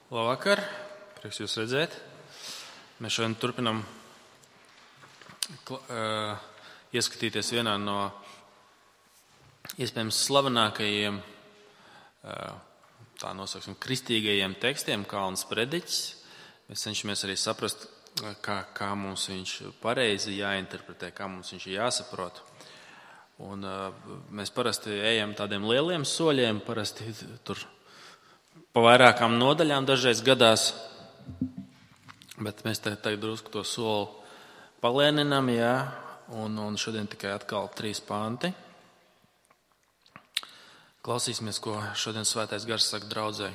Labvakar, prieks jūs redzēt. Mēs šodien turpinam ieskatīties vienā no iespējams slavenākajiem, tā nosauksim, kristīgajiem tekstiem, Kalna sprediķis. Mēs cenšamies arī saprast, kā mums viņš pareizi jāinterpretē, kā mums viņš jāsaprot. Un mēs parasti ejam tādiem lieliem soļiem, parasti tur pa vairākām nodaļām dažreiz gadās, bet mēs tagad drusku to soli palēninām, un šodien tikai atkal 3 panti. Klausīsimies, ko šodien Svētais Gars saka draudzei.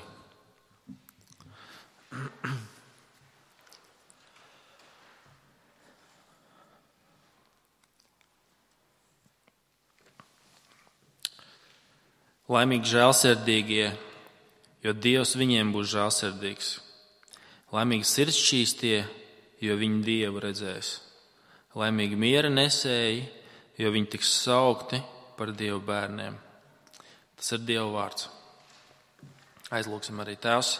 Laimīgi žēlsirdīgie, jo Dievs viņiem būs žēlsirdīgs. Laimīgi sirdsšķīstie, jo viņi Dievu redzēs. Laimīgi miera nesēji, jo viņi tiks saukti par Dievu bērniem. Tas ir Dieva vārds. Aizlūksim arī Tēvs,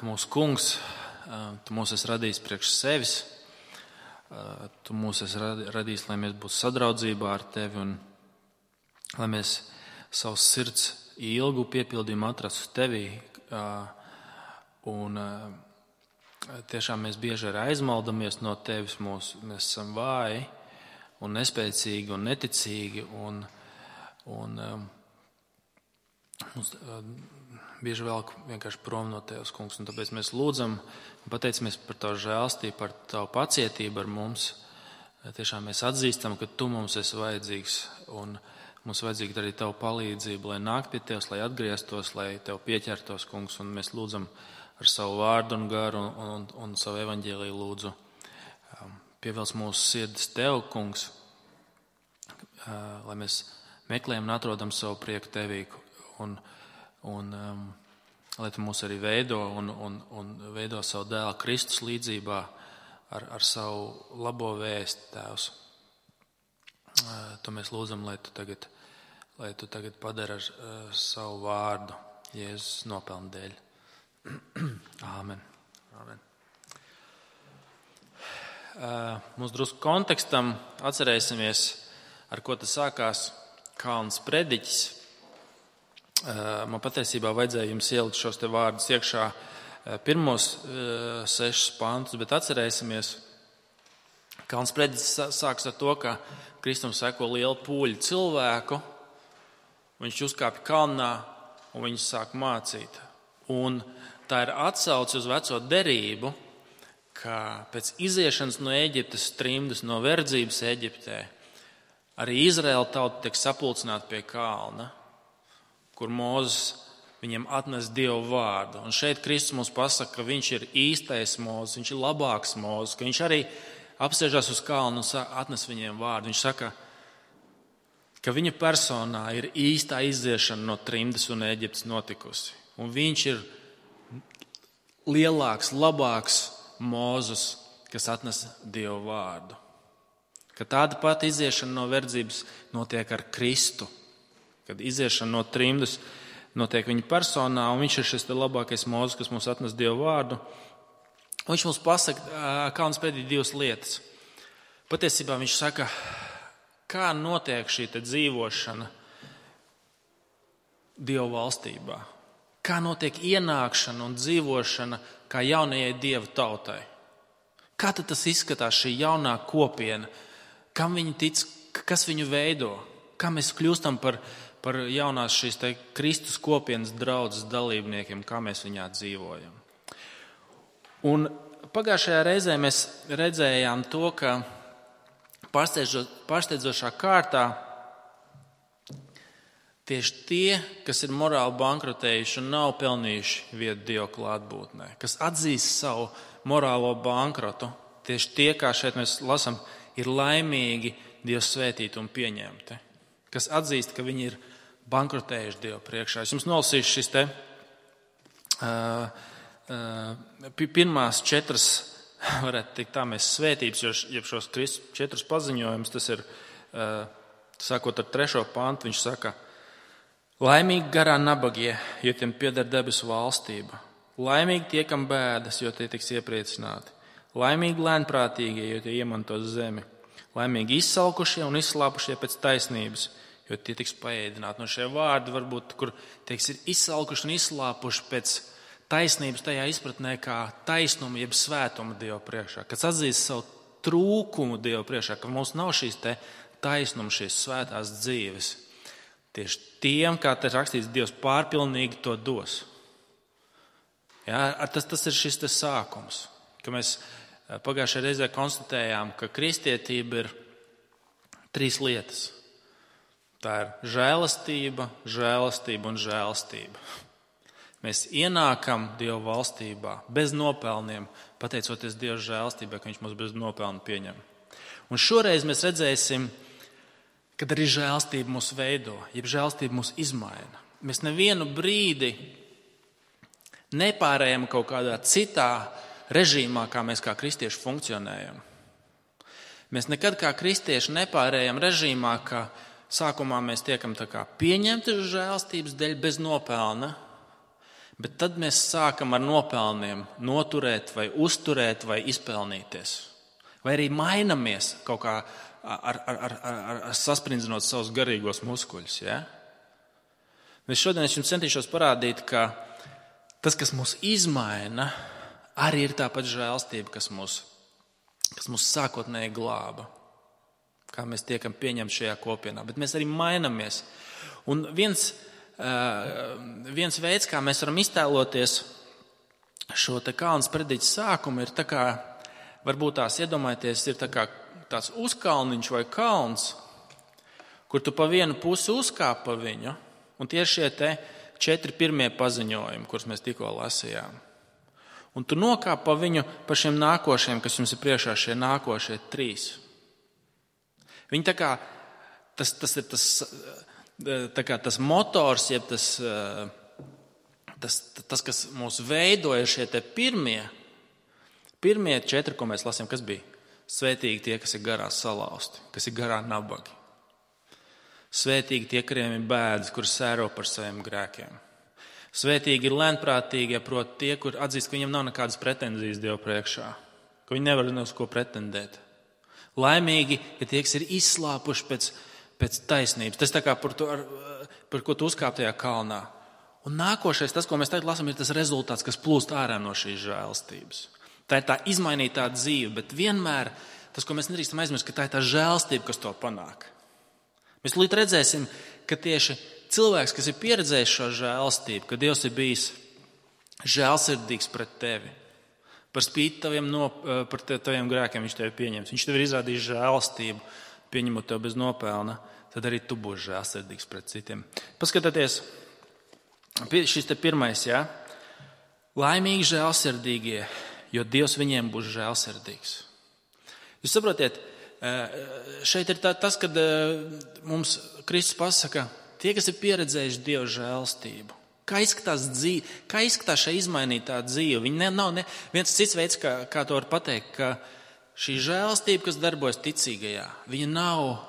mūsu Kungs, Tu mūs esi radījis priekš sevis, Tu mūs esi radījis, lai mēs būtu sadraudzībā ar Tevi un lai mēs savus sirds ilgu piepildījumu atrastu Tevī. Un tiešām mēs bieži arī aizmaldamies no Tevis. Mēs esam vāji un nespēcīgi un neticīgi. Un mums bieži velk vienkārši prom no Tevis, Kungs. Un tāpēc mēs lūdzam un pateicamies par Tavu žēlstību, par Tavu pacietību ar mums. Tiešām mēs atzīstam, ka Tu mums esi vajadzīgs un mums vajadzīga arī Tava palīdzība, lai nāk pie Tevis, lai atgrieztos, lai Tev pieķertos, Kungs, un mēs lūdzam ar savu vārdu un garu un savu evaņģēliju lūdzu. Pievelc mūsu sirdis Tev, Kungs, lai mēs meklējam un atrodam savu prieku Tevī, un lai Tu mūs arī veido un veido savu dēlu Kristus līdzībā ar savu labo vēsti, Tēvs. To mēs lūdzam, lai Tu tagad padari ar savu vārdu Jēzus nopelnu dēļ. Āmen. Āmen. Mums drusku kontekstam atcerēsimies, ar ko tas sākās Kalna sprediķis. Man patiesībā vajadzēja jums ielikt šos te vārdus iekšā pirmos 6 pantus, bet atcerēsimies, Kalna sprediķis sāks ar to, ka Kristum seko liela pūļa cilvēku, viņš uzkāpj kalnā un viņš sāk mācīt. Un tā ir atsauce uz veco derību, ka pēc iziešanas no Ēģiptes trimdas, no verdzības Ēģiptē, arī Izraēla tauta tiek sapulcināta pie kalna, kur Mūzes viņiem atnes Dievu vārdu. Un šeit Kristus mums pasaka, ka viņš ir īstais Mūzes, viņš ir labāks Mūzes, ka viņš arī apsēžās uz kalnu un atnes viņiem vārdu. Viņš saka, ka viņa personā ir īstā iziešana no trimdas un Ēģiptes notikusi. Un viņš ir lielāks, labāks Mūzes, kas atnes Dievu vārdu. Ka tāda pati iziešana no verdzības notiek ar Kristu. Kad iziešana no trimdas notiek viņa personā, un viņš ir šis labākais Mūzes, kas mums atnes Dievu vārdu. Viņš mums pasaka, Kalna sprediķī 2 lietas. Patiesībā viņš saka, kā notiek šī dzīvošana Dievu valstībā. Kā notiek ienākšana un dzīvošana kā jaunajai Dieva tautai. Kā tad tas izskatās šī jaunā kopiena? Kam viņi tic, kas viņu veido? Kā mēs kļūstam par jaunās šīs Kristus kopienas draudzes dalībniekiem, kā mēs viņā dzīvojam? Un pagājušajā reizē mēs redzējām to, ka pārsteidzošā kārtā tieši tie, kas ir morāli bankrotējuši un nav pelnījuši vietu Dieva klātbūtnē, kas atzīst savu morālo bankrotu, tieši tie, kā šeit mēs lasām, ir laimīgi Dieva svētīti un pieņemti, kas atzīst, ka viņi ir bankrotējuši Dieva priekšā. Es jums nolasīšu šis pirmās 4, varētu teikt tā, mēs svētības, jeb šos Kristus 4 paziņojumus, tas ir, sākot ar 3. pantu, viņš saka, laimīgi garā nabagie, jo tiem pieder debesu valstība. Laimīgi tie, kam bēdas, jo tie tiks iepriecināti. Laimīgi lēnprātīgie, jo tie iemantos zemi. Laimīgi izsalkušie un izslāpušie pēc taisnības, jo tie tiks paēdināti. No šie vārdi varbūt, kur tieks ir izsalkuši un izslāpuši pēc taisnības tajā izpratnē kā taisnuma, jeb svētuma Dieva priekšā. Kas atzīst savu trūkumu Dieva priekšā, ka mums nav šīs te taisnuma, šīs svētās dzīves. Tieši tiem, kā te rakstīts, Dievs pārpilnīgi to dos. Ja, tas ir šis te sākums, ka mēs pagājušajā reizē konstatējām, ka kristietība ir 3 lietas. Tā ir žēlastība, žēlastība un žēlastība. Mēs ienākam Dieva valstībā bez nopelniem, pateicoties Dieva žēlastībai, ka Viņš mūs bez nopelnu pieņem. Un šoreiz mēs redzēsim, kad arī žēlastība mūs veido, jeb žēlastība mūs izmaina. Mēs nevienu brīdi nepārējām kaut kādā citā režīmā, kā mēs kā kristieši funkcionējam. Mēs nekad kā kristieši nepārējām režīmā, ka sākumā mēs tiekam tā kā pieņemti žēlastības dēļ bez nopelna, bet tad mēs sākam ar nopelniem noturēt vai uzturēt vai izpelnīties. Vai arī mainamies kaut kā ar sasprindzinot savus garīgos muskuļus. Ja? Šodien es jums centīšos parādīt, ka tas, kas mūs izmaina, arī ir tāpat žēlastība, kas mūs sākotnēji glāba. Kā mēs tiekam pieņemti šajā kopienā. Bet mēs arī mainamies. Un viens veids, kā mēs varam iztēloties šo te kalna sprediķa sākumu, ir tā kā, varbūt tās iedomājieties, ir tā kā tāds uzkalniņš vai kalns, kur tu pa vienu pusi uzkāp pa viņu, un tie ir šie te 4 pirmie paziņojumi, kurus mēs tikko lasījām. Un tu nokāp pa viņu pa šiem nākošiem, kas jums ir priekšā, šie nākošie 3. Viņi tā kā, tas ir tas motors, jeb tas, kas mūs veidoja, šie te pirmie 4, ko mēs lasījām, kas bija? Svētīgi tie, kas ir garā salausti, kas ir garā nabagi. Svētīgi tie, kuriem ir bēdas, kur sēro par saviem grēkiem. Svētīgi ir lēnprātīgie, proti tie, kur atzīst, ka viņiem nav nekādas pretenzijas Dievu priekšā, ka viņi nevar uz ko pretendēt. Laimīgi ir tie, kas ir izslāpuši pēc taisnības. Tas tā kā par ko tu uzkāp tajā kalnā. Un nākošais, tas, ko mēs tagad lasām, ir tas rezultāts, kas plūst ārā no šīs žēlastības. Tā ir tā izmainītā dzīve, bet vienmēr tas, ko mēs nedrīkstam aizmirst, ka tā ir tā žēlastība, kas to panāk. Mēs līdz redzēsim, ka tieši cilvēks, kas ir pieredzējis šo žēlastību, ka Dievs ir bijis žēlsirdīgs pret tevi, par spīti par taviem grēkiem viņš tevi pieņems. Viņš tev ir izrādījis žēlastību, pieņemot tev bez nopelna, tad arī tu būsi žēlsirdīgs pret citiem. Paskatieties, šis te pirmais, ja? Laimīgi žēlsirdīgie, jo Dievs viņiem būs žēlsirdīgs. Jūs saprotiet, šeit ir tas, kad mums Kristus pasaka, tie, kas ir pieredzējuši Dieva žēlstību, kā izskatās šī izmainītā dzīve. Viņi nav viens cits veids, kā to var pateikt, ka šī žēlstība, kas darbojas ticīgajā, viņa nav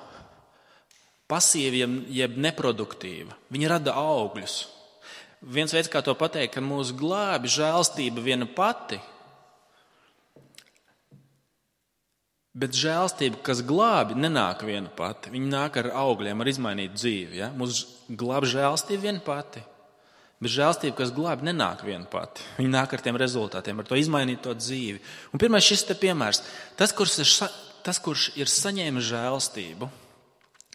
pasīva jeb neproduktīva. Viņa rada augļus. Viens veids, kā to pateikt, ka mūs glābi žēlstība viena pati, bet žēlstība, kas glābi, nenāk viena pati. Viņa nāk ar augļiem, ar izmainītu dzīvi. Ja? Mūs glābi žēlstība viena pati, bet žēlstība, kas glābi, nenāk viena pati. Viņa nāk ar tiem rezultātiem, ar to izmainīto dzīvi. Un pirmais šis te piemērs. Tas, kurš ir saņēmis žēlstību,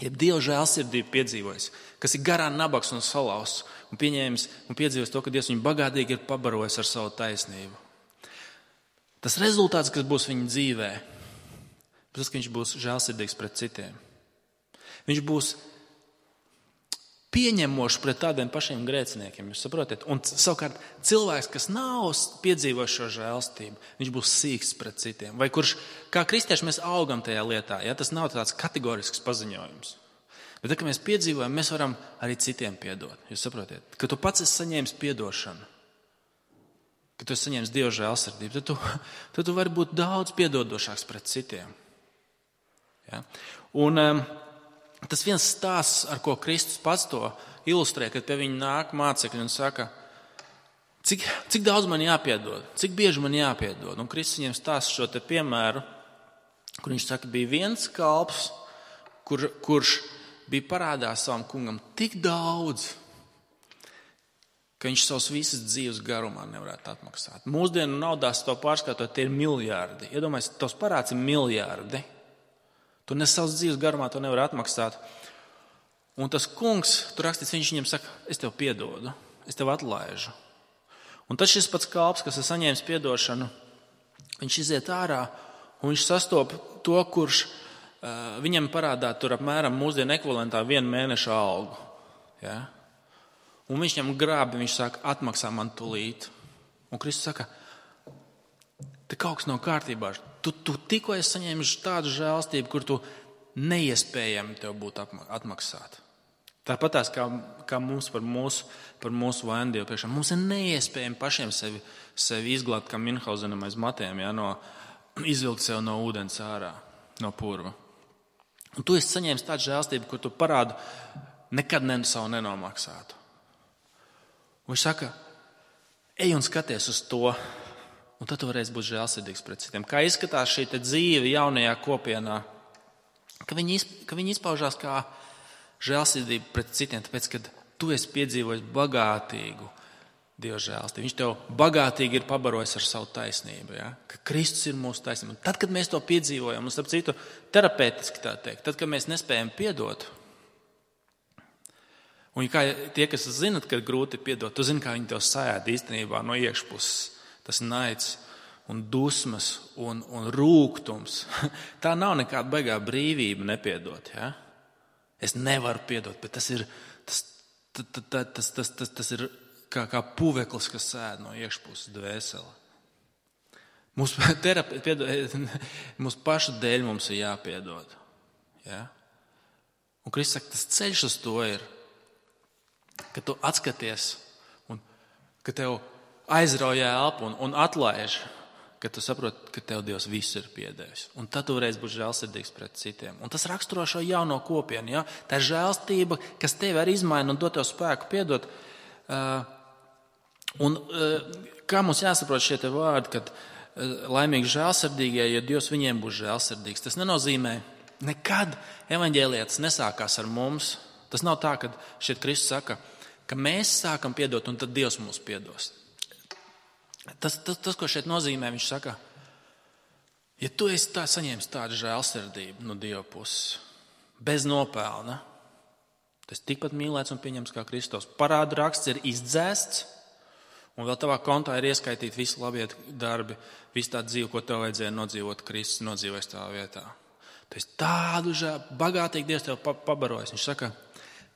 jeb Dieva žēlsirdību piedzīvojis, kas ir garā nabaks un salausts, un pieņēmis un piedzīvojis to, ka Dievs viņu bagātīgi ir pabarojis ar savu taisnību. Tas rezultāts, kas būs viņa dzīvē, tas, ka viņš būs žēlsirdīgs pret citiem. Viņš būs pieņemošs pret tādiem pašiem grēciniekiem, jūs saprotat? Un savukārt cilvēks, kas nav piedzīvojis šo žēlstību, viņš būs sīks pret citiem. Vai kurš, kā kristieši, mēs augam tajā lietā, ja? Tas nav tāds kategorisks paziņojums. Bet, kad mēs piedzīvojam, mēs varam arī citiem piedot. Jūs saprotiet? Ka tu pats esi saņēmis piedošanu, ka tu esi saņēmis Dieva žēlsirdību, tad tu vari būt daudz piedodošāks pret citiem. Ja? Un tas viens stāsts, ar ko Kristus pats to ilustrē, kad pie viņa nāk mācekļi un saka, Cik daudz man jāpiedod? Cik bieži man jāpiedod? Un Kristus viņiem stāsta šo te piemēru, kur viņš saka, bija viens kalps, kurš bija parādā savam kungam tik daudz, ka viņš savus visas dzīves garumā nevarētu atmaksāt. Mūsdienu naudās to pārskatot, tie ir miljardi. Iedomājies, tos parāds ir miljardi. Tu ne savas dzīves garumā to nevar atmaksāt. Un tas kungs, tur rakstīts, viņš viņam saka, es tev piedodu, es tev atlaižu. Un tad šis pats kalps, kas ir saņēmis piedošanu, viņš iziet ārā un viņš sastop to, kurš viņam parādā tur apmēram mūsdienu ekvivalentā 1 mēneša algu. Ja? Un viņš viņam grābi, viņš saka, atmaksā man tūlīt. Un Kristus saka, te kaut kas nav kārtībā. Tu tikko esi saņēmis tādu žēlstību, kur tu neiespējami tev būtu atmaksāt. Tāpat tās kā mums par mūsu vainu Dievu priekšā. Mums ir neiespējami pašiem sevi izglābt, kā Minhausenam aiz matiem, ja, izvilkt sev no ūdens ārā, no purva. Un tu esi saņēmis tādu žēlstību, kur tu parādu nekad savu nenomaksātu. Un viņš saka, ej un skaties uz to, un tad tu varēsi būt žēlsirdīgs pret citiem. Kā izskatās šī te dzīve jaunajā kopienā, ka viņi izpaužās kā žēlsirdība pret citiem, tāpēc, ka tu esi piedzīvojis bagātīgu Dieva žēlstību. Viņš tev bagātīgi ir pabarojis ar savu taisnību, ja? Ka Kristus ir mūsu taisnība. Un tad, kad mēs to piedzīvojam, un starp citu terapeitiski tā teikt, tad, kad mēs nespējam piedot, un kā tie, kas zinat, ka grūti piedot, tu zini, kā viņi tev sajāda īstenībā no iekšpuses. Tas naids un dusmas un rūgtums. Tā nav nekāda baigā brīvība nepiedot. Ja? Es nevaru piedot, bet tas ir kā puveklis, kas sēd no iekšpuses dvēseli. Mūsu pašu dēļ mums ir jāpiedod. Ja? Un Kristus saka, tas ceļš uz to ir, ka tu atskaties un ka tev aizrauj elpu un atlaiž, ka tu saproti, ka tev Dievs visu ir piedevis. Un tad tu varēsi būt žēlsirdīgs pret citiem. Un tas raksturo šo jauno kopienu. Ja? Tā ir žēlstība, kas tevi arī izmaina un dod tev spēku piedot. Kā mums jāsaprot šie te vārdi, kad laimīgi žēlsirdīgie, jo Dievs viņiem būs žēlsirdīgs. Tas nenozīmē, nekad evaņģēlietis nesākās ar mums. Tas nav tā, ka šeit Kristus saka, ka mēs sākam piedot un tad Dievs mūs piedos. Tas, ko šeit nozīmē, viņš saka, ja tu esi saņēmis tādu žēlsirdību no Dieva puses, bez nopelna, tas tikpat mīlēts un pieņems kā Kristus. Parādu raksts ir izdzēsts, un vēl tavā kontā ir ieskaitīti visi labie darbi, visu tā dzīve, ko tev vajadzēja nodzīvot, Kristus nodzīvojis tavā vietā. Tu esi tādu bagātīgu Dievs tev pabarojis. Viņš saka,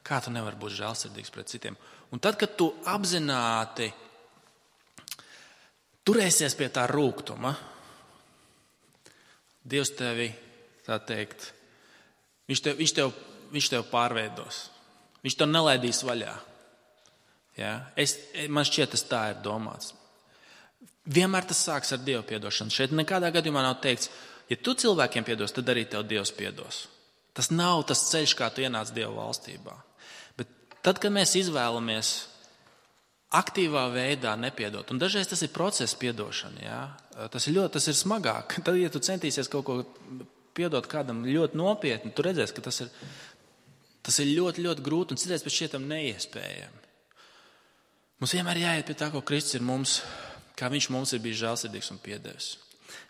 kā tu nevari būt žēlsirdīgs pret citiem. Un tad, kad tu apzināti turēsies pie tā rūgtuma, Dievs tevi, tā teikt, viņš tev pārveidos. Viņš tev nelaidīs vaļā. Ja? Man šķiet, tas tā ir domāts. Vienmēr tas sāks ar Dievu piedošanu. Šeit nekādā gadījumā nav teikts, ja tu cilvēkiem piedos, tad arī tev Dievs piedos. Tas nav tas ceļš, kā tu ienāc Dieva valstībā. Bet tad, kad mēs izvēlamies aktīvā veidā nepiedot, un dažreiz tas ir process piedošana, ja? Tas ir smagāk. Tad, ja tu centīsies kaut ko piedot kādam ļoti nopietni, tu redzēsi, ka tas ir ļoti, ļoti grūti un citreiz pēc šietam neiespējami. Mums vienmēr jāiet pie tā, ko Kristus ir mums, kā viņš mums ir bijis žēlsirdīgs un piedevis.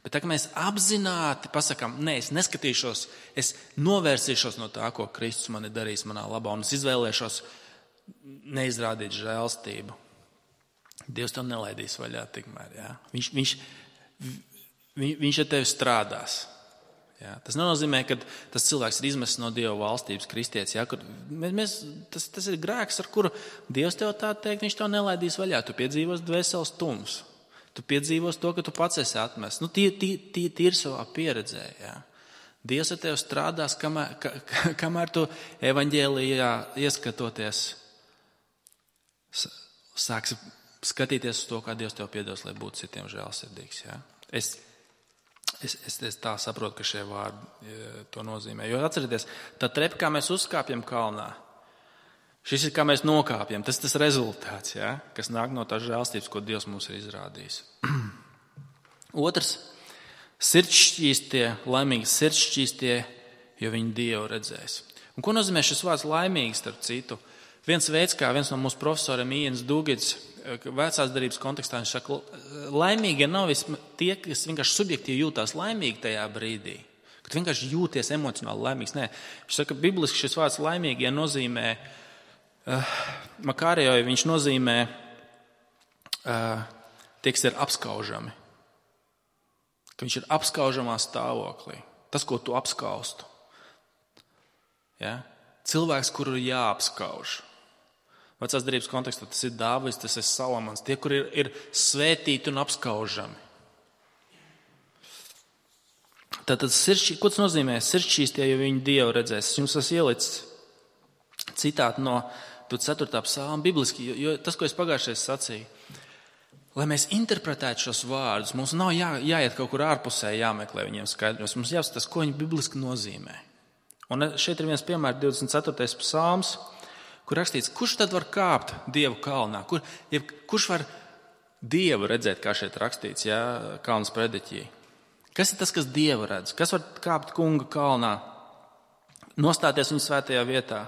Bet tā, ka mēs apzināti pasakām, nē, es neskatīšos, es novērsīšos no tā, ko Kristus man ir darījis manā labā, un es izvēlēšos neizrādīt žēlstību. Dievs to nelaidīs vaļā tikmēr. Ja? Viņš ar tevi strādās. Ja? Tas nenozīmē, ka tas cilvēks ir izmests no Dieva valstības kristietis. Ja? Tas ir grēks, ar kuru Dievs tev tā teikt, viņš to nelaidīs vaļā. Tu piedzīvos dvēseles tums. Tu piedzīvos to, ka tu pats esi atmests. Tīri savā pieredzē. Ja? Dievs ar tevi strādās, kamēr tu evaņģēlijā ieskatoties, sāksi skatīties uz to, kā Dievs tev piedos, lai būtu citiem žēlsirdīgs. Ja? Es tā saprotu, ka šie vārdi to nozīmē. Jo atcerieties, tā trepa, kā mēs uzkāpjam kalnā, Šis ir, kā mēs nokāpjam. Tas ir tas rezultāts, ja? Kas nāk no tās žēlstības, ko Dievs mums ir izrādījis. Otrs, sirdsšķīstie, laimīgi sirdsšķīstie, jo viņi Dievu redzēs. Un ko nozīmē šis vārds laimīgi, starp citu? Viens veids, kā viens no mūsu profesoriem Ians Dugits vecās darības kontekstā, viņš saka, laimīgie nav tie, kas vienkārši subjektīvi jūtās laimīgi tajā brīdī. Kad vienkārši jūties emocionāli laimīgs. Nē, viņš saka, bibliski šis vārds laimīgie nozīmē, Makārijai viņš nozīmē tie, kas ir apskaužami. Ka viņš ir apskaužamā stāvoklī. Tas, ko tu apskaustu. Ja? Cilvēks, kuru ir jāapskauž. Vecās darības kontekstā tas ir Dāvids, tas ir Salamans. Tie, kuri ir svētīti un apskaužami. Tātad, ko tas nozīmē? Sirdsšķīstie, jo viņi Dievu redzēs. Es jums esmu ielicis citātu no 4. psalma bibliski, jo tas, ko es pagājušajā sacīju, lai mēs interpretētu šos vārdus, mums nav jāiet kaut kur ārpusē, jāmeklē viņiem skaidros. Mums jāskatās, ko viņi bibliski nozīmē. Un šeit ir viens piemērs, 24. psalms, kur rakstīts, kurš tad var kāpt Dievu kalnā? Kurš var Dievu redzēt, kā šeit rakstīts, ja, kalnas prediķī? Kas ir tas, kas Dievu redz? Kas var kāpt kunga kalnā? Nostāties viņa svētajā vietā,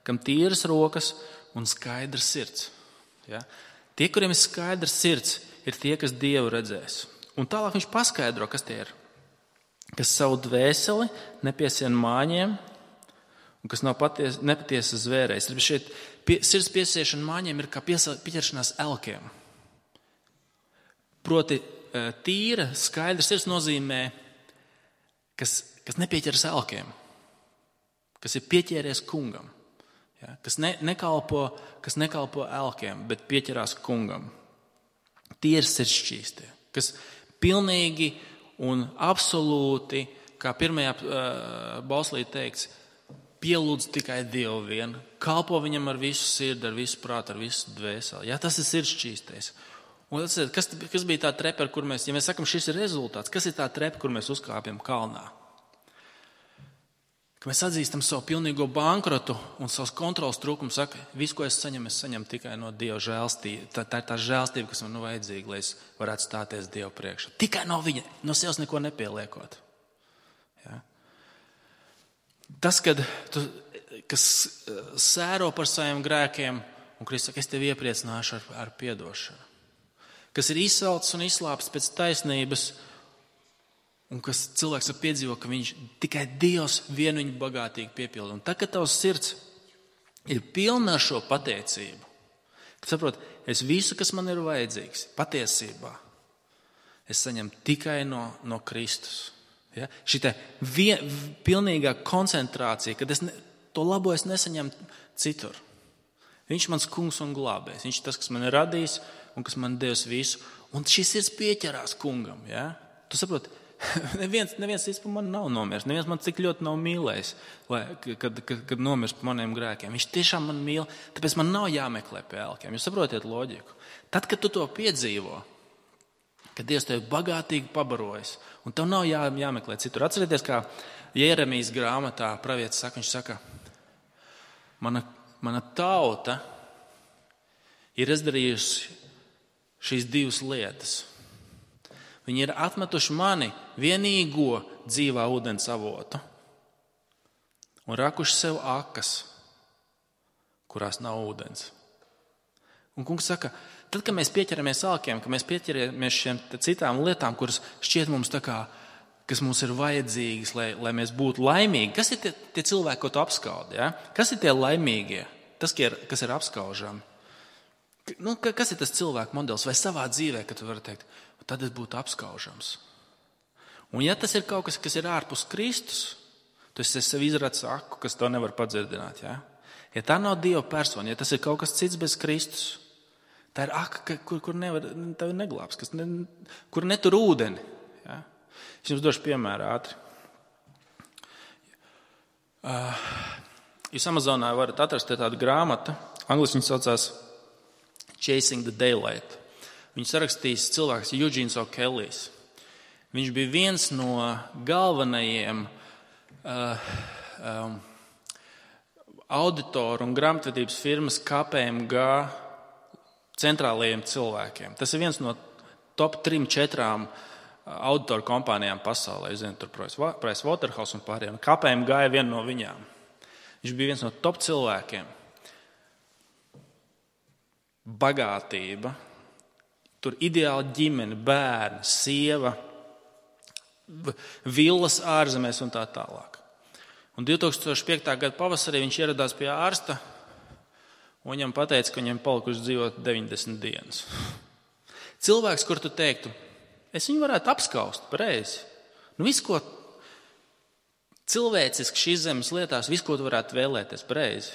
kam tīras rokas un skaidrs sirds. Ja? Tie, kuriem ir skaidrs sirds, ir tie, kas Dievu redzēs. Un tālāk viņš paskaidro, kas tie ir. Kas savu dvēseli nepiesien māņiem un kas nav nepatiesa zvērējs. Šeit sirds piesiešana māņiem ir kā pieķeršanās elkiem. Proti tīra, skaidra sirds nozīmē, kas nepieķeras elkiem, kas ir pieķēries kungam. Ja, kas nekalpo elkiem, bet pieķerās kungam. Tie ir sirdsšķīstie, kas pilnīgi un absolūti, kā pirmajā bauslī teikts, pielūdz tikai Dievu vienu, kalpo viņam ar visu sirdi, ar visu prātu, ar visu dvēseli. Ja, tas ir sirdsšķīstais. Un kas bija tā trepa, kur mēs, ja mēs sakam, šis ir rezultāts, kas ir tā trepa, kur mēs uzkāpjam kalnā? Ka mēs atzīstam savu pilnīgo bankrotu un savus kontrolas trūkumu, saka, visu, ko es saņemu tikai no Dieva žēlstība. Tā ir tā žēlstība, kas man vajadzīga, lai es varētu stāties Dievu priekšā. Tikai no viņa, no sevis neko nepieliekot. Ja? Tas, kas sēro par saviem grēkiem, un Kristus saka, es tevi iepriecināšu ar piedošanu. Kas ir izsalcis un izslāpis pēc taisnības, un kas cilvēks var piedzīvot, ka viņš tikai Dievs vienu viņu bagātīgi piepilda. Un tā, kad tavs sirds ir pilna ar šo pateicību, kad saprot, es visu, kas man ir vajadzīgs, patiesībā, es saņemu tikai no Kristus. Ja? Šitā pilnīgā koncentrācija, kad to labo es nesaņemu citur. Viņš ir mans kungs un glābējs. Viņš ir tas, kas man ir radījis un kas man devis visu. Un šis sirds pieķerās kungam. Ja? Tu saproti, neviens cits par mani nav nomiris. Neviens man tik ļoti nav mīlējis, kad nomirst par maniem grēkiem. Viņš tiešām man mīl, tāpēc man nav jāmeklē pie elkiem. Jūs saprotiet loģiku? Tad, kad tu to piedzīvo, kad Dievs tevi bagātīgi pabarojas, un tev nav jāmeklē citur. Atcerieties, kā Jeremijas grāmatā pravietis saka, viņš saka, mana tauta ir izdarījusi šīs divas lietas. Viņi ir atmetuši mani vienīgo dzīvā ūdens avotu un rakuši sev akas, kurās nav ūdens. Un kungs saka, tad, kad mēs pieķeramies alkiem, kad mēs pieķeramies šiem citām lietām, kuras šķiet mums tā kā, kas mums ir vajadzīgas, lai mēs būtu laimīgi, kas ir tie cilvēki, ko tu apskaudi? Ja? Kas ir tie laimīgie? Tas, kas ir apskaužami. Kas ir tas cilvēku modelis? Vai savā dzīvē, kad tu vari teikt, tad es būtu apskaužams. Un ja tas ir kaut kas ir ārpus Kristus, tu esi sev izradis aku, kas to nevar padzirdināt. Ja? Ja tā nav Dieva persona, ja tas ir kaut kas cits bez Kristus, tā ir aka, kur tevi neglābs, kur netur ūdeni. Ja? Es jums došu piemēru ātri. Jūs Amazonā varat atrast tādu grāmatu, angliski viņa saucās Chasing the Daylight. Viņu sarakstījis cilvēks Eugene O'Kellijs. Viņš bija viens no galvenajiem auditoru un grāmatvedības firmas KPMG centrālajiem cilvēkiem. Tas ir viens no top 3-4 auditoru kompānijām pasaulē. Es zinu, tur Pricewaterhouse un pārējiem. KPMG ir viena no viņām. Viņš bija viens no top cilvēkiem. Bagātība, tur ideāla ģimene, bērni, sieva, villas ārzemēs un tā tālāk. Un 2005. Gada pavasarī viņš ieradās pie ārsta un viņam pateica, ka viņam palikuši dzīvot 90 dienas. Cilvēks, kur tu teiktu, es viņu varētu apskaust pareizi. Visu, ko cilvēciski šīs zemes lietās, visu, ko tu varētu vēlēties pareizi.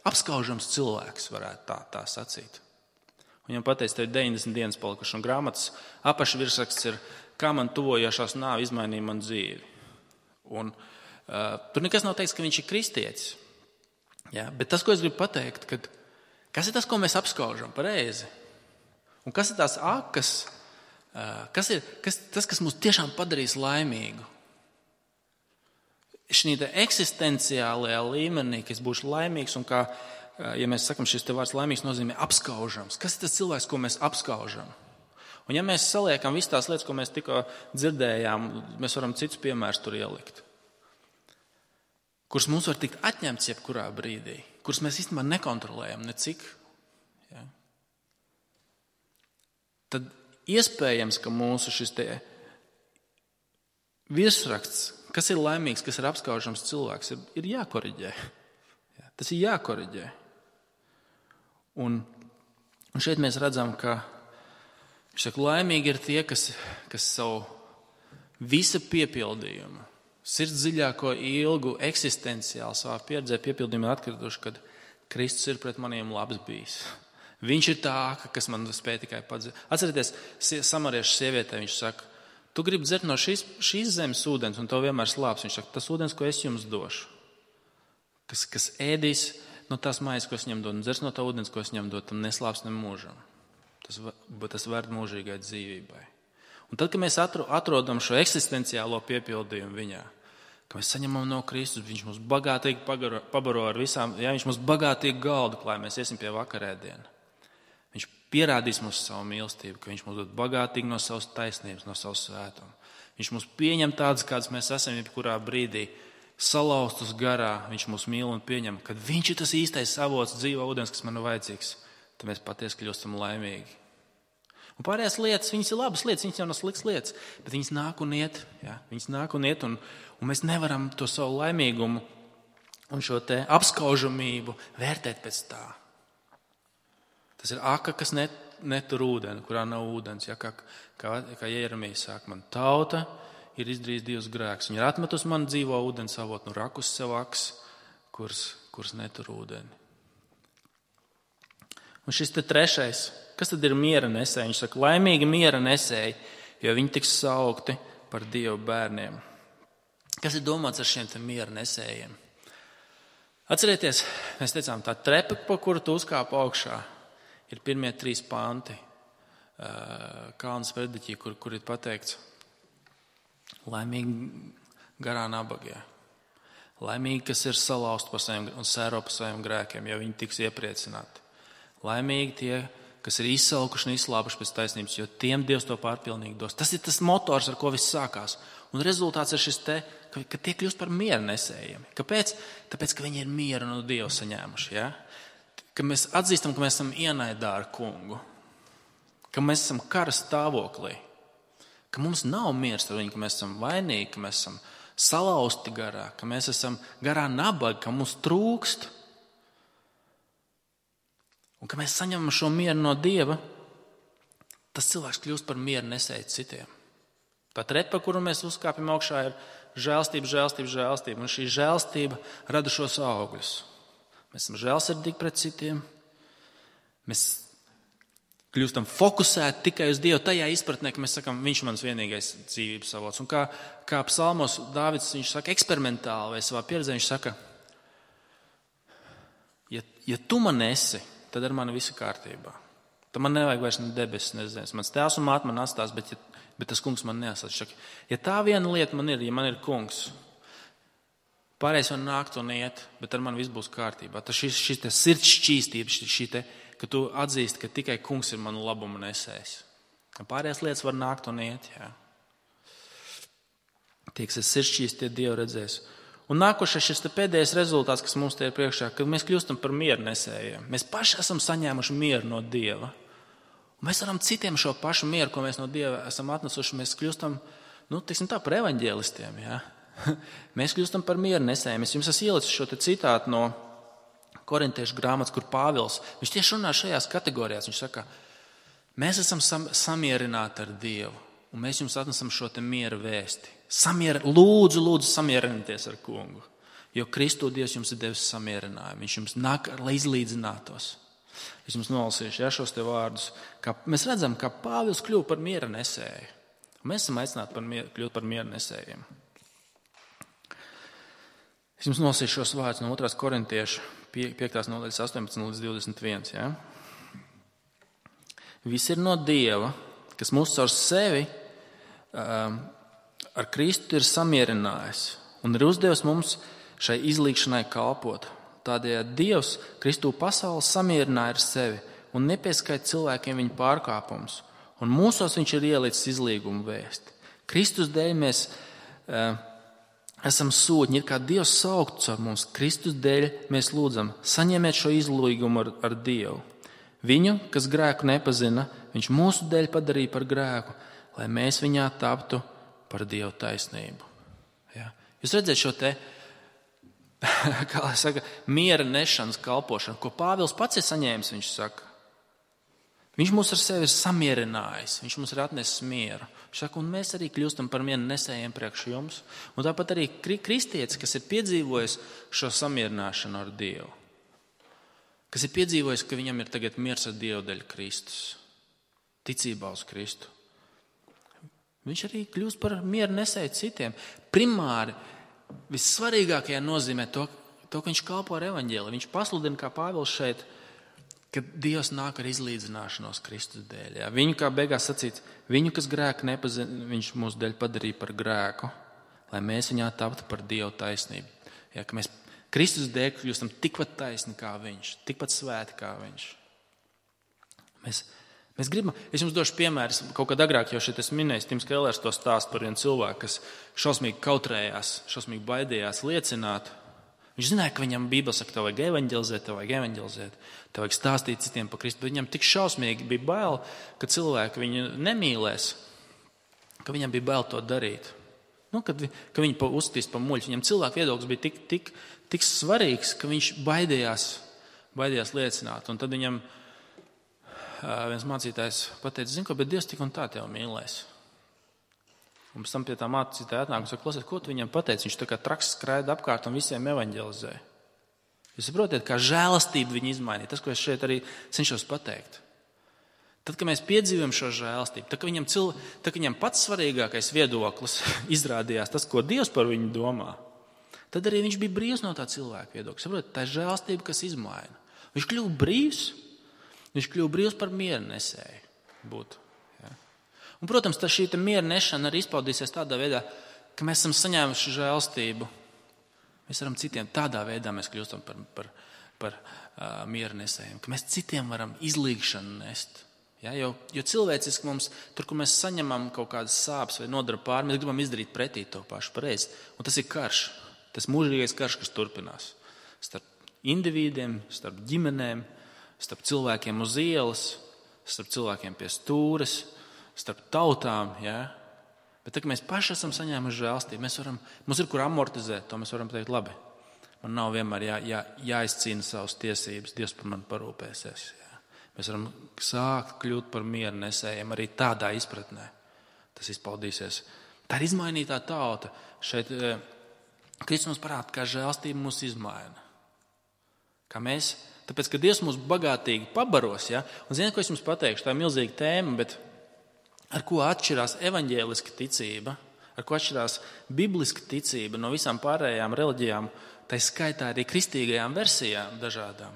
Apskaužams cilvēks varētu tā sacīt. Viņam pateica, tev ir 90 dienas palikuši, un grāmatas apakšvirsraksts ir, kā man tuvojošās nāve izmainīja man dzīvi. Un tur nekas nav teikts, ka viņš ir kristietis. Ja? Bet tas, ko es gribu pateikt, kas ir tas, ko mēs apskaužam pareizi? Un kas ir tās akas, kas ir tas, kas mūs tiešām padarīs laimīgu? Šī eksistenciālajā līmenī, ka es būšu laimīgs, un kā, ja mēs sakam, šis te vārds laimīgs nozīmē apskaužams. Kas ir tas cilvēks, ko mēs apskaužam? Un ja mēs saliekam visas tās lietas, ko mēs tikko dzirdējām, mēs varam citus piemērus tur ielikt, kuras mums var tikt atņemts jebkurā brīdī, kuras mēs īstenībā nekontrolējam necik. Ja? Tad iespējams, ka mūsu šis te virsraksts, kas ir laimīgs, kas ir apskaužams cilvēks, ir jākoriģē. Ja? Tas ir jākoriģē. Un šeit mēs redzam, ka viņš saka, laimīgi ir tie, kas savu visa piepildījumu, sirds dziļāko ilgu eksistenciāli savā pieredzē piepildījumu atkrituši, kad Kristus ir pret maniem labs bijis. Viņš ir tā, kas man spēja tikai padzert. Atcerieties, samariešu sievietē viņš saka, tu gribi dzert no šīs zemes ūdens, un tev vienmēr slāps. Viņš saka, tas ūdens, ko es jums došu, kas ēdīs no tās mājas, ko es viņam dodu, un dzers no tā ūdens, ko es viņam dodu, tam neslāps ne mūžam. Tas vērt mūžīgai dzīvībai. Un tad, kad mēs atrodam šo eksistenciālo piepildījumu viņā, ka mēs saņemam no Kristus, viņš mums bagātīgi pabaro ar visām, ja viņš mums bagātīgi galdu klāj, mēs iesim pie vakarēdiena. Viņš pierādīs mums savu mīlestību, ka viņš mums dod bagātīgi no savas taisnības, no savas svētuma. Viņš mums pieņem tādas, kādas mēs esam jebkurā brīdī, salauztus garā, viņš mūs mīl un pieņem, kad viņš ir tas īstais avots dzīvā ūdens, kas man ir vajadzīgs, tad mēs patiesi kļūstam laimīgi. Un pārējās lietas, viņas ir labas lietas, viņas jau nav sliktas lietas, bet viņas nāk un iet, ja? Viņas nāk un iet, un mēs nevaram to savu laimīgumu un šo te apskaužamību vērtēt pēc tā. Tas ir aka, kas netur ūdeni, kurā nav ūdens. Ja? Kā Jeremija saka, man tauta ir izdarījis divus grēkus. Viņa ir atmetusi man dzīvo ūdens avotu, nu rakus sev aks, kuras netur ūdeni. Un šis te trešais, kas tad ir miera nesēji? Viņš saka, laimīgi miera nesēji, jo viņi tiks saukti par Dieva bērniem. Kas ir domāts ar šiem te miera nesējiem? Atcerieties, mēs teicām, tā trepa, pa kuru tu uzkāp augšā, ir pirmie 3 panti Kalnas prediķī, kur ir pateikts laimīgi garā nabagie. Laimīgi, kas ir salauzti par saviem un sēro par saviem grēkiem, jo viņi tiks iepriecināti. Laimīgi tie, kas ir izsalkuši un izslāpuši pēc taisnības, jo tiem Dievs to pārpilnīgi dos. Tas ir tas motors, ar ko viss sākās. Un rezultāts ir šis te, ka tie kļūst par miera nesējiem. Kāpēc? Tāpēc, ka viņi ir mieru no Dieva saņēmuši. Ja? Ka mēs atzīstam, ka mēs esam ienaidā ar kungu. Ka mēs esam kara stāvoklī. Ka mums nav miers ar viņu, ka mēs esam vainīgi, ka mēs esam salauzti garā, ka mēs esam garā nabagi, ka mums trūkst. Un ka mēs saņemam šo mieru no Dieva, tas cilvēks kļūst par mieru nesēju citiem. Tā trepa, kuru mēs uzkāpjam augšā, ir žēlstība, žēlstība, žēlstība. Un šī žēlstība rada šos augļus. Mēs esam žēlsirdīgi pret citiem. Mēs kļūstam fokusēti tikai uz Dievu tajā izpratnē, ka mēs sakam, viņš mans vienīgais dzīvības avots. Un kā psalmos Dāvids, viņš saka eksperimentāli vai savā pieredzē, viņš saka, ja tu man esi, tad ar mani visu kārtībā. Tad man nevajag vairs ne debesis, ne zemes. Mans tēvs un māte man atstās, bet tas kungs man neatstās. Ja tā viena lieta man ir, ja man ir kungs, Pārējais var nākt un iet, bet ar mani viss būs kārtībā. Tas šis te sirds šķīstība, ka tu atzīsti, ka tikai kungs ir manu labumu nesējis. Pārējās lietas var nākt un iet, jā. Tie, kas ir sirds šķīsti, tie Dievu redzēs. Un nākošais šis te pēdējais rezultāts, kas mums te ir priekšā, kad mēs kļūstam par mieru nesējiem. Mēs paši esam saņēmuši mieru no Dieva. Un mēs varam citiem šo pašu mieru, ko mēs no Dieva esam atnesuši, mēs kļūstam, par evaņģēlistiem, jā. Mēs kļūstam par mieru nesējiem. Es jums esmu ielicis šo te citātu no Korintiešu grāmatas, kur Pāvils, viņš tieši runā šajās kategorijās. Viņš saka, mēs esam samierināti ar Dievu, un mēs jums atnesam šo te miera vēsti. Lūdzu, samierinieties ar kungu, jo Kristu Dievs jums ir devis samierinājumu. Viņš jums nāk, lai izlīdzinātos. Es jums nolasīšu šos te vārdus. Mēs redzam, ka Pāvils kļuva par miera nesēju. Mēs esam aicināti kļūt par miera nesējiem. Es jums nolasīšu šos vārdus no 2. Korintiešu 5. nodaļas 18 līdz 21. Ja? Viss ir no Dieva, kas mūs caur sevi ar Kristu ir samierinājis un ir uzdevis mums šai izlīgšanai kalpot. Tādējādi Dievs Kristu pasauli samierināja ar sevi un nepieskaita cilvēkiem viņu pārkāpumus. Un mūsos viņš ir ielicis izlīgumu vēsti. Kristus dēļ mēs esam sūtņi, ir kā Dievs saukts ar mums. Kristus dēļ mēs lūdzam, saņemiet šo izlīgumu ar Dievu. Viņu, kas grēku nepazina, viņš mūsu dēļ padarīja par grēku, lai mēs viņā taptu par Dievu taisnību. Ja? Jūs redzat šo te, kā lai saka, miera nešanas kalpošanu, ko Pāvils pats ir saņēmis, viņš saka. Viņš mūs ar sevi ir samierinājis, viņš mums ir atnesis mieru. Viņš saka, un mēs arī kļūstam par mieru nesējiem priekš jums. Un tāpat arī kristietis, kas ir piedzīvojis šo samierināšanu ar Dievu. Kas ir piedzīvojis, ka viņam ir tagad miers ar Dievu dēļ Kristus. Ticībā uz Kristu. Viņš arī kļūst par mieru nesēju citiem. Primāri, vissvarīgākajā nozīmē to, ka viņš kalpo ar evaņģēli. Viņš pasludina, kā Pāvils šeit, ka Dievs nāk ar izlīdzināšanos Kristus dēļ. Jā. Viņu, kā beigās sacīts, viņu, kas grēku nepazina, viņš mūsu dēļ padarīja par grēku, lai mēs viņā taptu par Dievu taisnību. Jā, ka mēs Kristus dēļ kļūstam tikpat taisni kā viņš, tikpat svēti kā viņš. Mēs gribam, es jums došu piemēru, kaut kad agrāk jau šeit es minēju, Tims Kellers to stāst par vienu cilvēku, kas šausmīgi kautrējās, šausmīgi baidījās liecināt. Viņš zināja, ka viņam Bībele saka, tev vajag evaņģelizēt, tev vajag stāstīt citiem par Kristu, bet viņam tik šausmīgi bija bail, ka cilvēki viņu nemīlēs, ka viņam bija bail to darīt. Ka viņi uzstīs pa muļķi. Viņam cilvēku viedoklis bija tik svarīgs, ka viņš baidījās liecināt. Un tad viņam viens mācītājs pateica, zinu, ko, bet Dievs tik un tā tev mīlēs. Un pēc tam pie tā mācītāja atnāk un saka, klausies, ko tu viņam pateici? Viņš tā kā traks skraida apkārt un visiem evaņģelizē. Jūs saprotiet, kā žēlastību viņi izmainīja. Tas, ko es šeit arī cenšos pateikt. Tad, kad mēs piedzīvojam šo žēlastību, tad, kad viņam pats svarīgākais viedoklis izrādījās tas, ko Dievs par viņu domā, tad arī viņš bija brīvs no tā cilvēka viedokļa. Saprotiet, tā ir žēlastība, kas izmaina. Viņš kļuva brīvs par mieru nesēju būt. Un, protams, šī miera nešana arī izpaudīsies tādā veidā, ka mēs esam saņēmuši žēlstību. Mēs varam citiem tādā veidā mēs kļūstam par miera nesējiem, ka mēs citiem varam izlīgšanu nest. Ja, jo cilvēciski mums, tur, kur mēs saņemam kaut kādas sāpes vai nodara pāri, mēs gribam izdarīt pretī to pašu pareizi. Un tas ir karš, tas mūžīgais karš, kas turpinās. Starp individiem, starp ģimenēm, starp cilvēkiem uz ielas, starp cilvēkiem pie stūres, starp tautām, ja? Bet tā, ka mēs paši esam saņēmuši žēlstību, mums ir kur amortizēt, to mēs varam teikt labi. Man nav vienmēr jāizcīna savas tiesības, Dievs par mani parūpēsies. Ja? Mēs varam sākt kļūt par mieru nesējiem arī tādā izpratnē. Tas izpaudīsies. Tā ir izmainītā tauta. Šeit Kristus mums parāda, kā žēlstība mūs izmaina. Tāpēc, ka Dievs mūs bagātīgi pabaros, ja? Un ziniet, ko es jums pateikšu, tā ir milzīga tēma, bet ar ko atšķirās evaņģēliska ticība, ar ko atšķirās bibliska ticība no visām pārējām reliģijām, tā skaitā arī kristīgajām versijām dažādām,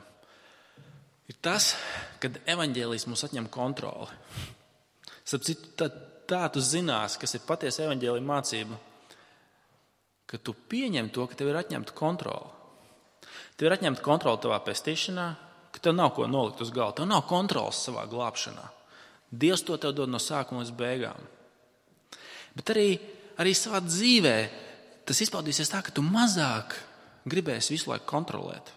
ir tas, kad evaņģēlijs mums atņem kontroli. Starp citu, tā tu zinās, kas ir patiesa evaņģēlija mācība, ka tu pieņem to, ka tev ir atņemta kontrola. Tev ir atņemta kontrola tavā pestīšanā, ka tev nav ko nolikt uz galda. Tev nav kontrolas savā glābšanā. Dievs to tev dod no sākuma līdz beigām. Bet arī savā dzīvē tas izpaudīsies tā, ka tu mazāk gribēsi visu laiku kontrolēt.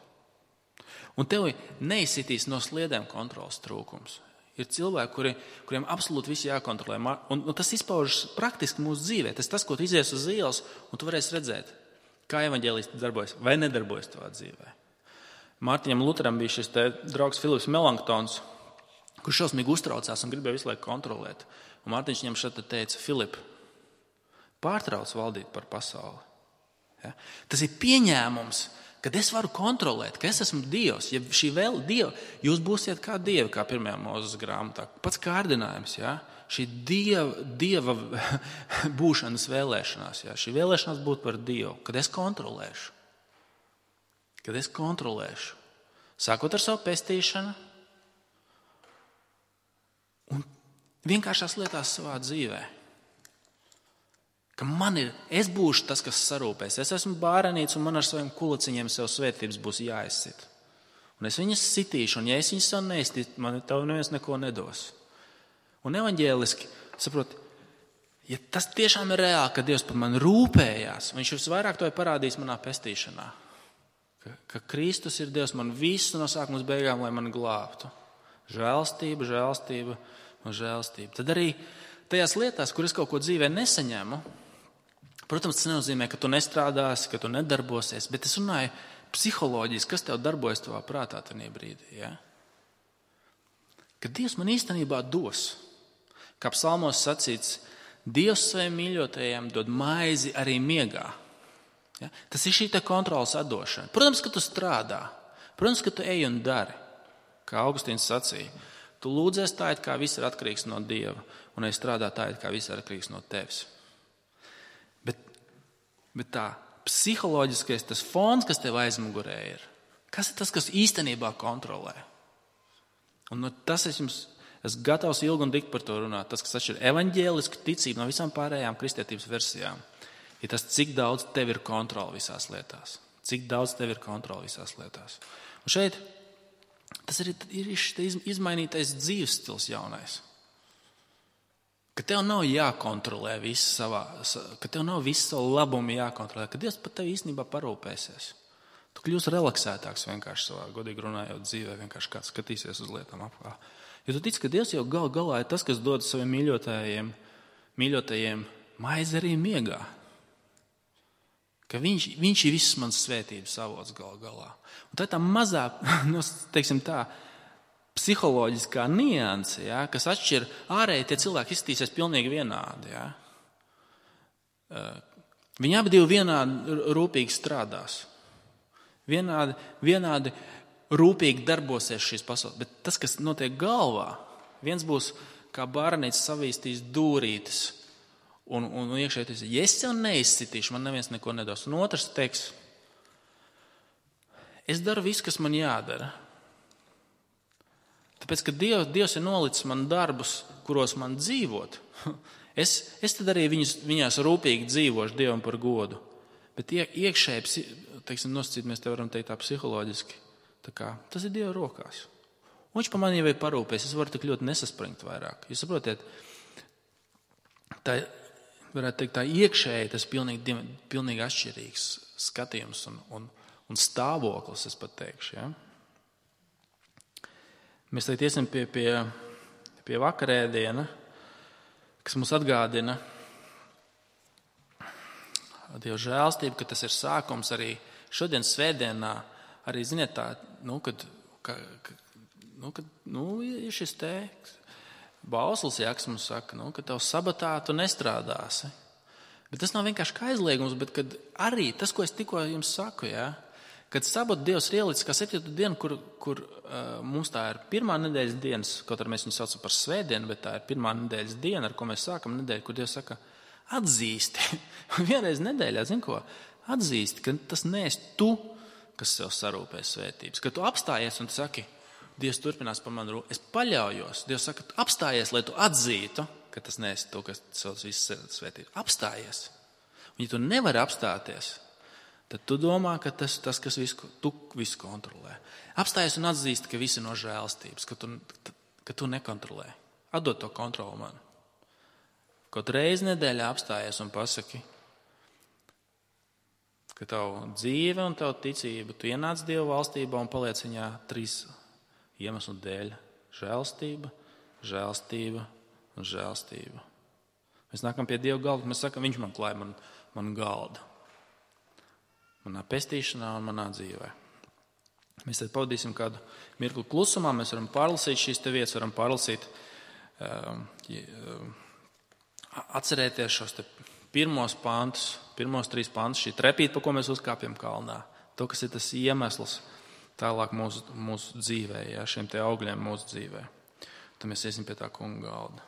Un tev neizsitīs no sliedēm kontrolas trūkums. Ir cilvēki, kuriem absolūti viss jākontrolē. Un tas izpaužas praktiski mūsu dzīvē. Tas, ko tu izies uz ielas, un tu varēsi redzēt, kā evaņģēlisti darbojas vai nedarbojas tavā dzīvē. Mārtiņam Luteram bija šis draugs Filips Melanktons, kurš šausmīgi uztraucās un gribēja visu laiku kontrolēt. Un Mārtiņš viņam šeit teica: Filip, pārtrauc valdīt par pasauli. Ja? Tas ir pieņēmums, kad es varu kontrolēt, ka es esmu Dievs. Ja šī vēl Dieva, jūs būsiet kā Dievi, kā 1. Mūzes grāmatā. Pats kārdinājums, ja? Šī Dieva būšanas vēlēšanās. Ja? Šī vēlēšanās būt par Dievu, kad es kontrolēšu. Kad es kontrolēšu. Sākot ar savu pestīšanu un vienkāršās lietās savā dzīvē. Ka es būšu tas, kas sarūpēs. Es esmu bārenīts un man ar saviem kulaciņiem sev svētības būs jāizsit. Un es viņas sitīšu, un ja es viņas sev neizsit, man tev neviens neko nedos. Un evaņģēliski, saprot, ja tas tiešām ir reāli, ka Dievs par mani rūpējās, viņš visvairāk to ir parādījis manā pestīšanā. Ka Kristus ir Dievs man visu no sākuma līdz beigām, lai mani glābtu. Žēlstība, žēlstība un žēlstība. Tad arī tajās lietās, kur es kaut ko dzīvē nesaņemu, protams, tas nenozīmē, ka tu nestrādāsi, ka tu nedarbosies, bet es runāju psiholoģiski, kas tev darbojas tavā prātā tajā brīdī. Ja? Ka Dievs man īstenībā dos. Kā psalmos sacīts, Dievs saviem mīļotajiem dod maizi arī miegā. Ja? Tas ir šī kontrolas atdošana. Protams, ka tu strādā. Protams, ka tu ej un dari. Kā Augustīns sacīja, tu lūdzies tā, it kā viss ir atkarīgs no Dieva, un es strādā tā, it kā viss ir atkarīgs no tevis. Bet tā psiholoģiskais, tas fons, kas tev aizmugurē ir, kas ir tas, kas īstenībā kontrolē? Un tas esmu gatavs ilgi un dikti par to runāt. Tas, kas atšķir evaņģēlisku ticību no visām pārējām kristietības versijām, ir tas, cik daudz tev ir kontrola visās lietās. Cik daudz tev ir kontrola visās lietās. Un šeit tas ir izmainītais dzīves stils jaunais. Ka tev nav jākontrolē viss ka tev nav viss savu labumu jākontrolē, ka Dievs par tevi īstenībā parūpēsies. Tu kļūsi relaksētāks vienkārši savā godīgi runājot dzīvē, vienkārši kāds skatīsies uz lietām apkārt. Jo tu tici, ka Dievs jau galā ir tas, kas dod saviem mīļotajiem maizi arī miegā. Ka viņš ir viss mans svētības avots galā. Un tā mazā, teiksim tā, psiholoģiskā nianse, ja, kas atšķir ārēji, tie cilvēki izskatīsies pilnīgi vienādi. Ja. Viņi abi divi vienādi rūpīgi strādās. Vienādi rūpīgi darbosies šīs pasaules. Bet tas, kas notiek galvā, viens būs kā bārnīts savīstīs dūrītes un iekšēties, ja es sev neizsitīšu, man neviens neko nedos. Un otrs teiks, es daru visu, kas man jādara. Tāpēc, ka Dievs ir nolicis man darbus, kuros man dzīvot, es tad arī viņās rūpīgi dzīvošu Dievam par godu. Bet iekšēji, teiksim, nosacīt, mēs te varam teikt tā psiholoģiski, tā kā, tas ir Dieva rokās. Un viņš par mani jau ir parūpēs, es varu tik ļoti nesaspringt vairāk. Jūs saprotiet, tā, varētu teikt, tā iekšēji tas pilnīgi atšķirīgs skatījums un stāvoklis, es pat teikšu, ja? Mēs tagad iesim pie vakarēdiena, kas mums atgādina Dieva žēlstību, ka tas ir sākums arī šodien svētdienā, arī, ziniet, tā, ir šis teiks, Bausls Jaks mums saka, ka tev sabatā tu nestrādāsi. Bet tas nav vienkārši kā aizliegums, bet kad arī tas, ko es tikko jums saku, ja, kad sabatu Dievs ir ielicis kā 7. dienu, kur mums tā ir pirmā nedēļas dienas, kaut arī mēs viņu saucam par svētdienu, bet tā ir pirmā nedēļas diena, ar ko mēs sākam nedēļu, kur Dievs saka, atzīsti. Vienreiz nedēļā, zini ko? Atzīsti, ka tas neesi tu, kas sev sarūpē svētības. Kad tu apstājies un tu saki, Dievs turpinās par mani rūpēt, es paļaujos. Dievs saka, apstājies, lai tu atzītu, ka tas neesi tu, kas sev visas svētības. Apstājies. Ja tu nevari apstāties, tad tu domā, ka tas kas tu visu kontrolē. Apstājies un atzīst, ka visi no žēlastības, ka tu nekontrolē. Atdod to kontroli man. Kaut reizi nedēļā apstājies un pasaki, ka tavu dzīve un tavu ticību, tu ienāc Dieva valstībā un paliec viņā 3 iemeslu dēļ. Žēlastība, žēlastība un žēlastība. Mēs nākam pie Dieva galda, mēs sakam, viņš man klāja man galdu. Manā pestīšanā un manā dzīvē. Mēs tad pavadīsim kādu mirkli klusumā, mēs varam pārlasīt šīs te vietas, varam pārlasīt, atcerēties šos te pirmos 3 pantus, šī trepīte, pa ko mēs uzkāpjam kalnā. To, kas ir tas iemesls tālāk mūsu dzīvē, šiem te augļiem mūsu dzīvē. Tad mēs iesim pie tā kunga galda.